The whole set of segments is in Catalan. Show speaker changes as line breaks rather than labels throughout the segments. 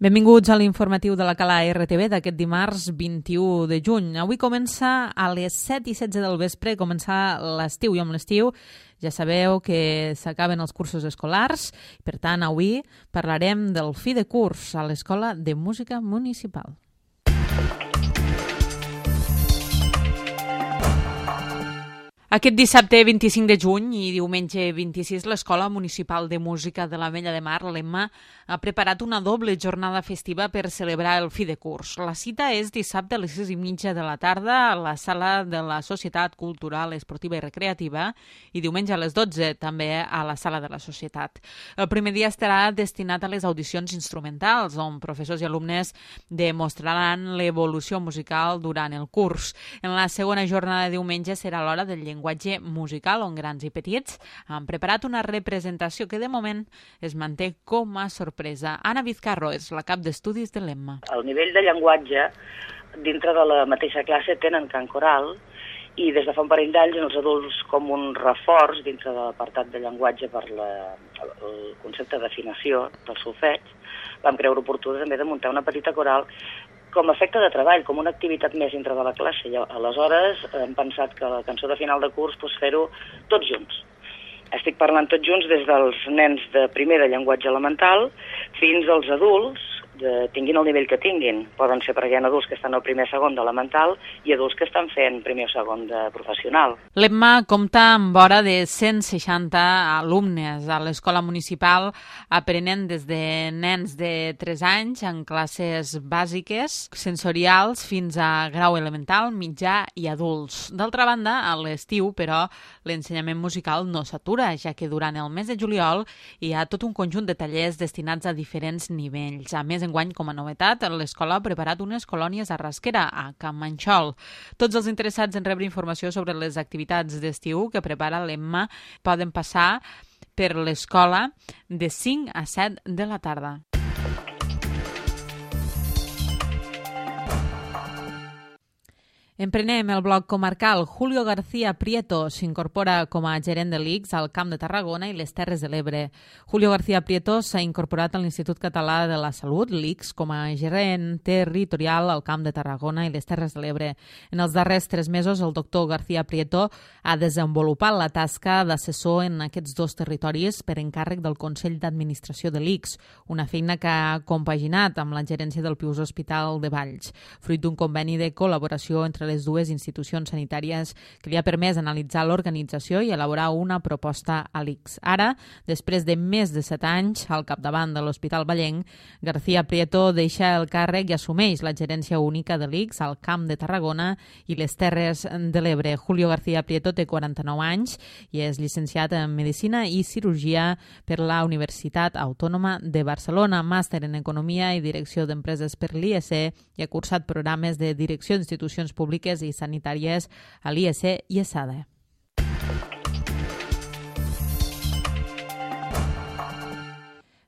Benvinguts a l'informatiu de la Cala RTV d'aquest dimarts 21 de juny. Avui comença a les 7:16 del vespre, comença l'estiu, i amb l'estiu ja sabeu que s'acaben els cursos escolars. Per tant, avui parlarem del fi de curs a l'Escola de Música Municipal. Aquest dissabte 25 de juny i diumenge 26, l'Escola Municipal de Música de l'Ametlla de Mar, l'EMMA, ha preparat una doble jornada festiva per celebrar el fi de curs. La cita és dissabte a les 6:30 de la tarda a la sala de la Societat Cultural, Esportiva i Recreativa i diumenge a les 12 també a la sala de la Societat. El primer dia estarà destinat a les audicions instrumentals, on professors i alumnes demostraran l'evolució musical durant el curs. En la segona jornada de diumenge serà l'hora del llenguatge musical, on grans i petits han preparat una representació que de moment es manté com a sorpresa. Anna Vizcarro és la cap d'estudis de l'EMMA.
El nivell de llenguatge dintre de la mateixa classe tenen cant coral i des de fa un parell d'anys els adults, com un reforç dintre de l'apartat de llenguatge per el concepte d'afinació del solfeig, vam creure oportú també de muntar una petita coral com a efecte de treball, com una activitat més dintre de la classe. I aleshores hem pensat que la cançó de final de curs fer-ho tots junts. Estic parlant tots junts des dels nens de primer de llenguatge elemental fins als adults, tinguin el nivell que tinguin. Poden ser perquè hi ha adults que estan al primer segon d'elemental i adults que estan fent primer o segon de professional.
L'EMMA compta amb vora de 160 alumnes a l'escola municipal, aprenent des de nens de 3 anys en classes bàsiques, sensorials, fins a grau elemental, mitjà i adults. D'altra banda, a l'estiu, però, l'ensenyament musical no s'atura, ja que durant el mes de juliol hi ha tot un conjunt de tallers destinats a diferents nivells. A més, enguany, com a novetat, l'escola ha preparat unes colònies a Rasquera, a Can Manxol. Tots els interessats en rebre informació sobre les activitats d'estiu que prepara l'EMMA poden passar per l'escola de 5 a 7 de la tarda. Emprenem el bloc comarcal. Julio García Prieto s'incorpora com a gerent de l'ICS al Camp de Tarragona i les Terres de l'Ebre. Julio García Prieto s'ha incorporat a l'Institut Català de la Salut, l'ICS, com a gerent territorial al Camp de Tarragona i les Terres de l'Ebre. En els darrers 3 mesos, el doctor García Prieto ha desenvolupat la tasca d'assessor en aquests 2 territoris per encàrrec del Consell d'Administració de l'ICS, una feina que ha compaginat amb la gerència del Pius Hospital de Valls, fruit d'un conveni de col·laboració entre les dues institucions sanitàries que li ha permès analitzar l'organització i elaborar una proposta a l'ICS. Ara, després de més de 7 anys al capdavant de l'Hospital Vallenc, García Prieto deixa el càrrec i assumeix la gerència única de l'ICS al Camp de Tarragona i les Terres de l'Ebre. Julio García Prieto té 49 anys i és llicenciat en Medicina i Cirurgia per la Universitat Autònoma de Barcelona, màster en Economia i Direcció d'Empreses per l'IEC i ha cursat programes de Direcció d'Institucions Públiques i sanitàries a l'IEC i ESADE.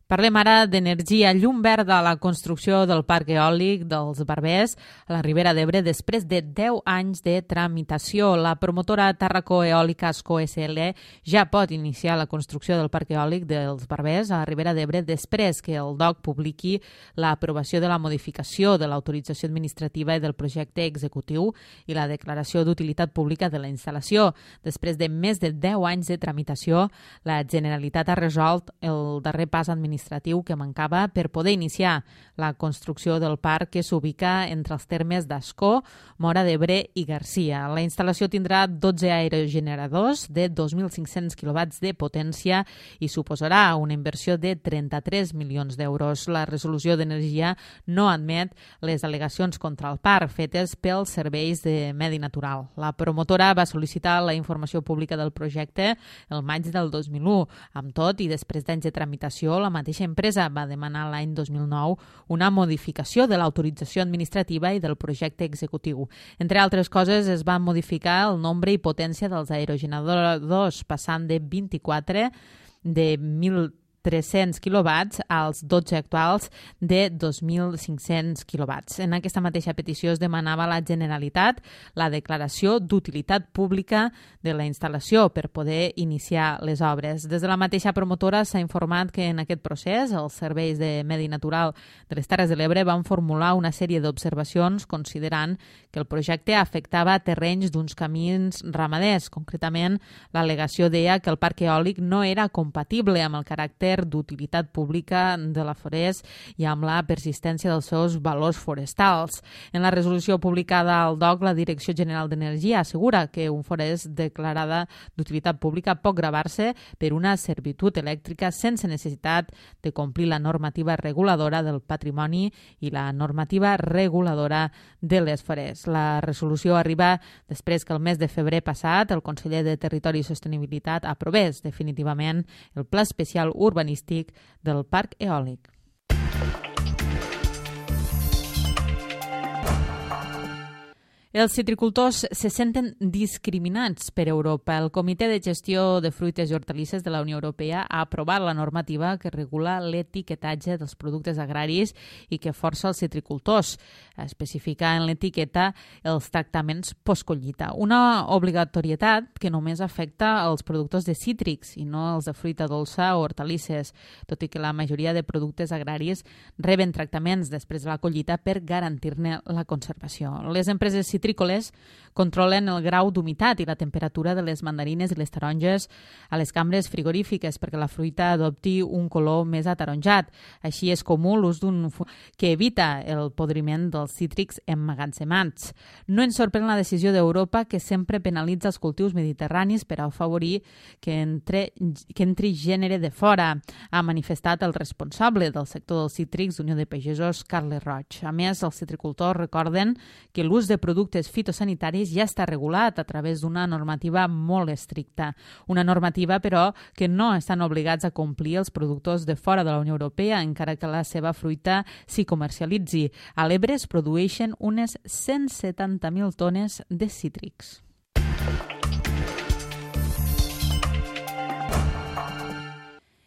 Parlem ara d'energia. Llum verda a la construcció del parc eòlic dels Barbers a la Ribera d'Ebre després de 10 anys de tramitació. La promotora Tàrraco Eòlica Asco SL ja pot iniciar la construcció del parc eòlic dels Barbers a la Ribera d'Ebre després que el DOC publiqui l'aprovació de la modificació de l'autorització administrativa i del projecte executiu i la declaració d'utilitat pública de la instal·lació. Després de més de 10 anys de tramitació, la Generalitat ha resolt el darrer pas administratiu que mancava per poder iniciar la construcció del parc que s'ubica entre els termes d'Ascó, Móra d'Ebre i Garcia. La instal·lació tindrà 12 aerogeneradors de 2.500 kW de potència i suposarà una inversió de 33 milions d'euros. La resolució d'energia no admet les al·legacions contra el parc fetes pels serveis de medi natural. La promotora va sol·licitar la informació pública del projecte el maig del 2001. Amb tot, i després d'anys de tramitació, la mateixa empresa va demanar l'any 2009 una modificació de l'autorització administrativa i del projecte executiu. Entre altres coses, es va modificar el nombre i potència dels aerogeneradors, passant de 24 de 1.000 300 quilowatts als 12 actuals de 2.500 quilowatts. En aquesta mateixa petició es demanava a la Generalitat la declaració d'utilitat pública de la instal·lació per poder iniciar les obres. Des de la mateixa promotora s'ha informat que en aquest procés els serveis de Medi Natural de les Terres de l'Ebre van formular una sèrie d'observacions considerant que el projecte afectava terrenys d'uns camins ramaders. Concretament, l'al·legació deia que el parc eòlic no era compatible amb el caràcter d'utilitat pública de la forest i amb la persistència dels seus valors forestals. En la resolució publicada al DOC, la Direcció General d'Energia assegura que un forest declarada d'utilitat pública pot gravar-se per una servitud elèctrica sense necessitat de complir la normativa reguladora del patrimoni i la normativa reguladora de les forests. La resolució arriba després que el mes de febrer passat el conseller de Territori i Sostenibilitat aprovés definitivament el Pla Especial Urbanístic del Parc Eòlic. Els citricultors se senten discriminats per Europa. El Comitè de Gestió de Fruites i Hortalisses de la Unió Europea ha aprovat la normativa que regula l'etiquetatge dels productes agraris i que força els citricultors a especificar en l'etiqueta els tractaments postcollita. Una obligatorietat que només afecta els productors de cítrics i no els de fruita dolça o hortalisses, tot i que la majoria de productes agraris reben tractaments després de la collita per garantir-ne la conservació. Les empreses citrícoles controlen el grau d'humitat i la temperatura de les mandarines i les taronges a les cambres frigorífiques perquè la fruita adopti un color més ataronjat. Així és comú l'ús d'un que evita el podriment dels cítrics emmagatzemats. No ens sorprèn la decisió d'Europa, que sempre penalitza els cultius mediterranis per afavorir que entri gènere de fora, ha manifestat el responsable del sector dels cítrics d'Unió de Pagesos, Carles Roig. A més, els citricultors recorden que l'ús de productes fitosanitaris ja està regulat a través d'una normativa molt estricta. Una normativa, però, que no estan obligats a complir els productors de fora de la Unió Europea, encara que la seva fruita s'hi comercialitzi. A l'Ebre es produeixen unes 170.000 tones de cítrics.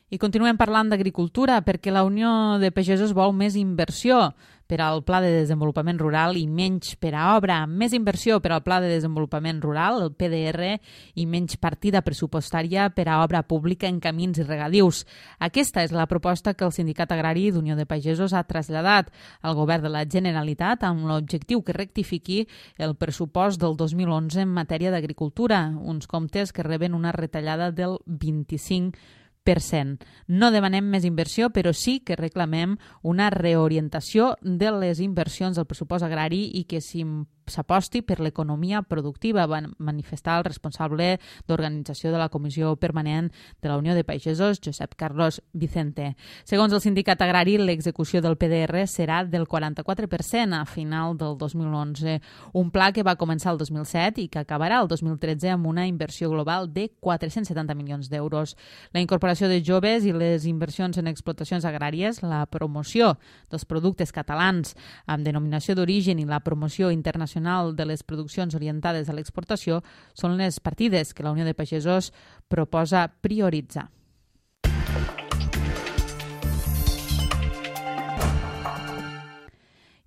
I continuem parlant d'agricultura perquè la Unió de Pagesos vol més inversió per al Pla de Desenvolupament Rural i menys per a obra. Més inversió per al Pla de Desenvolupament Rural, el PDR, i menys partida pressupostària per a obra pública en camins i regadius. Aquesta és la proposta que el Sindicat Agrari d'Unió de Pagesos ha traslladat al Govern de la Generalitat amb l'objectiu que rectifiqui el pressupost del 2011 en matèria d'agricultura, uns comptes que reben una retallada del 25%. No demanem més inversió, però sí que reclamem una reorientació de les inversions del pressupost agrari i que s'aposti per l'economia productiva, va manifestar el responsable d'organització de la Comissió Permanent de la Unió de Pagesos, Josep Carlos Vicente. Segons el sindicat agrari, l'execució del PDR serà del 44% a final del 2011, un pla que va començar el 2007 i que acabarà el 2013 amb una inversió global de 470 milions d'euros. La incorporació de joves i les inversions en explotacions agràries, la promoció dels productes catalans amb denominació d'origen i la promoció internacional de les produccions orientades a l'exportació són les partides que la Unió de Pagesos proposa prioritzar.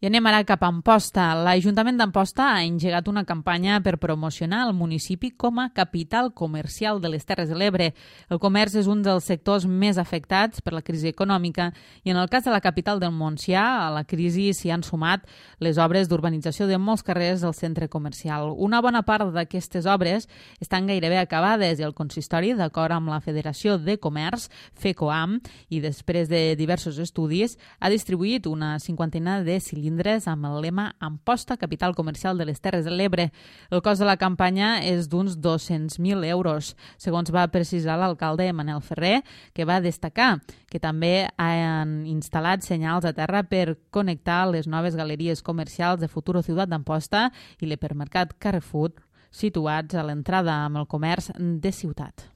I anem ara cap a Amposta. L'Ajuntament d'Amposta ha engegat una campanya per promocionar el municipi com a capital comercial de les Terres de l'Ebre. El comerç és un dels sectors més afectats per la crisi econòmica i en el cas de la capital del Montsià, a la crisi s'hi han sumat les obres d'urbanització de molts carrers del centre comercial. Una bona part d'aquestes obres estan gairebé acabades i el consistori, d'acord amb la Federació de Comerç, FECOAM, i després de diversos estudis, ha distribuït una cinquantena de cilindres amb el lema Amposta, capital comercial de les Terres de l'Ebre. El cost de la campanya és d'uns 200.000 euros, segons va precisar l'alcalde Manel Ferrer, que va destacar que també han instal·lat senyals a terra per connectar les noves galeries comercials de Futuro Ciutat d'Amposta i l'hipermercat Carrefour, situats a l'entrada amb el comerç de ciutat.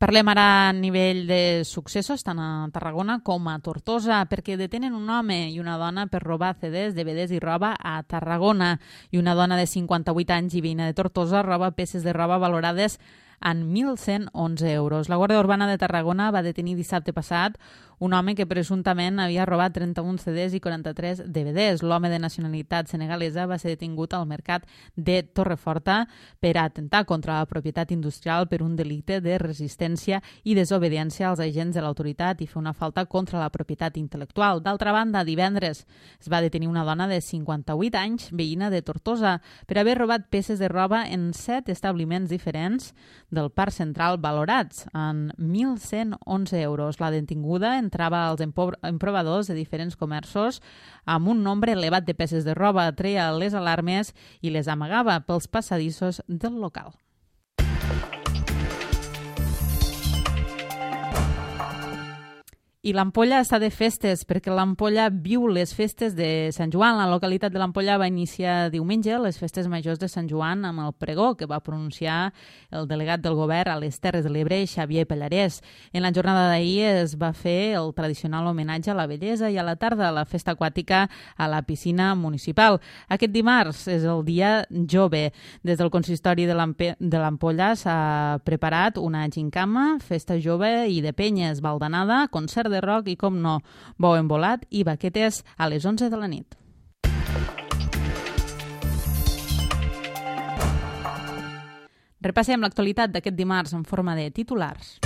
Parlem ara a nivell de successos, tant a Tarragona com a Tortosa, perquè detenen un home i una dona per robar CDs, DVDs i roba a Tarragona. I una dona de 58 anys i veïna de Tortosa roba peces de roba valorades en 1.111 euros. La Guàrdia Urbana de Tarragona va detenir dissabte passat un home que presumptament havia robat 31 CDs i 43 DVDs. L'home de nacionalitat senegalesa va ser detingut al mercat de Torreforta per atemptar contra la propietat industrial per un delicte de resistència i desobediència als agents de l'autoritat i fer una falta contra la propietat intel·lectual. D'altra banda, divendres es va detenir una dona de 58 anys, veïna de Tortosa, per haver robat peces de roba en 7 establiments diferents del Parc Central valorats en 1.111 euros. La detinguda entrava als emprovadors de diferents comerços amb un nombre elevat de peces de roba, treia les alarmes i les amagava pels passadissos del local. I l'Ampolla està de festes, perquè l'Ampolla viu les festes de Sant Joan. La localitat de l'Ampolla va iniciar diumenge les festes majors de Sant Joan amb el pregó que va pronunciar el delegat del govern a les Terres de l'Ebre, Xavier Pallarès. En la jornada d'ahir es va fer el tradicional homenatge a la bellesa i a la tarda la festa aquàtica a la piscina municipal. Aquest dimarts és el dia jove. Des del consistori de l'Ampolla s'ha preparat una gincama, festa jove i de penyes, baldanada, concert de rock i, com no, bou embolat i baquetes a les 11 de la nit. Repassem l'actualitat d'aquest dimarts en forma de titulars.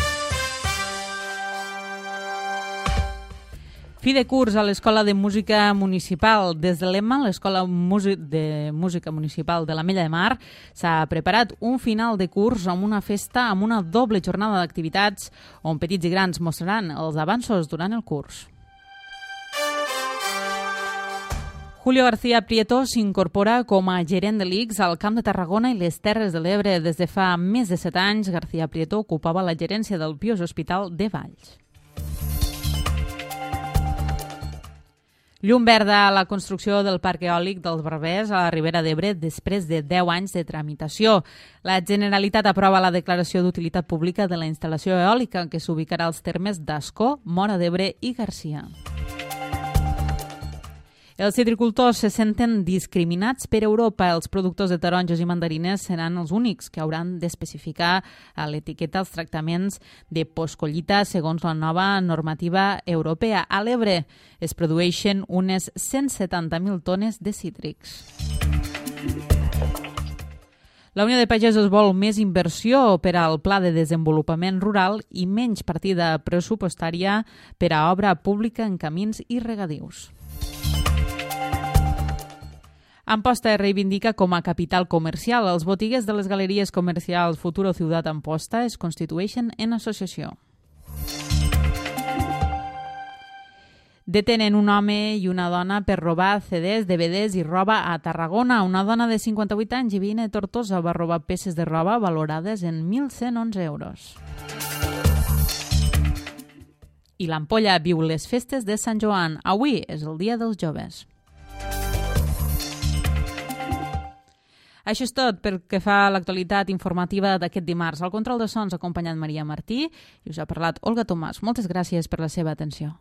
Fi de curs a l'Escola de Música Municipal. Des de l'EMMA, l'Escola de Música Municipal de l'Ametlla de Mar, s'ha preparat un final de curs amb una festa amb una doble jornada d'activitats on petits i grans mostraran els avanços durant el curs. Julio García Prieto s'incorpora com a gerent de l'ICS al Camp de Tarragona i les Terres de l'Ebre. Des de fa més de 7 anys, García Prieto ocupava la gerència del Pius Hospital de Valls. Llum verda a la construcció del parc eòlic dels Barbers a la Ribera d'Ebre després de 10 anys de tramitació. La Generalitat aprova la declaració d'utilitat pública de la instal·lació eòlica que s'ubicarà als termes d'Ascó, Móra d'Ebre i Garcia. Els citricultors se senten discriminats per Europa. Els productors de taronges i mandarines seran els únics que hauran d'especificar a l'etiqueta els tractaments de postcollita segons la nova normativa europea. A l'Ebre es produeixen unes 170.000 tones de cítrics. La Unió de Pagesos vol més inversió per al Pla de Desenvolupament Rural i menys partida pressupostària per a obra pública en camins i regadius. Amposta es reivindica com a capital comercial. Els botiguers de les galeries comercials Futuro Ciudad Amposta es constitueixen en associació. Detenen un home i una dona per robar CDs, DVDs i roba a Tarragona. Una dona de 58 anys i veïna de Tortosa va robar peces de roba valorades en 1.111 euros. I l'Ampolla viu les festes de Sant Joan. Avui és el dia dels joves. Això és tot pel que fa a l'actualitat informativa d'aquest dimarts. Al control de sons ha acompanyat Maria Martí i us ha parlat Olga Tomàs. Moltes gràcies per la seva atenció.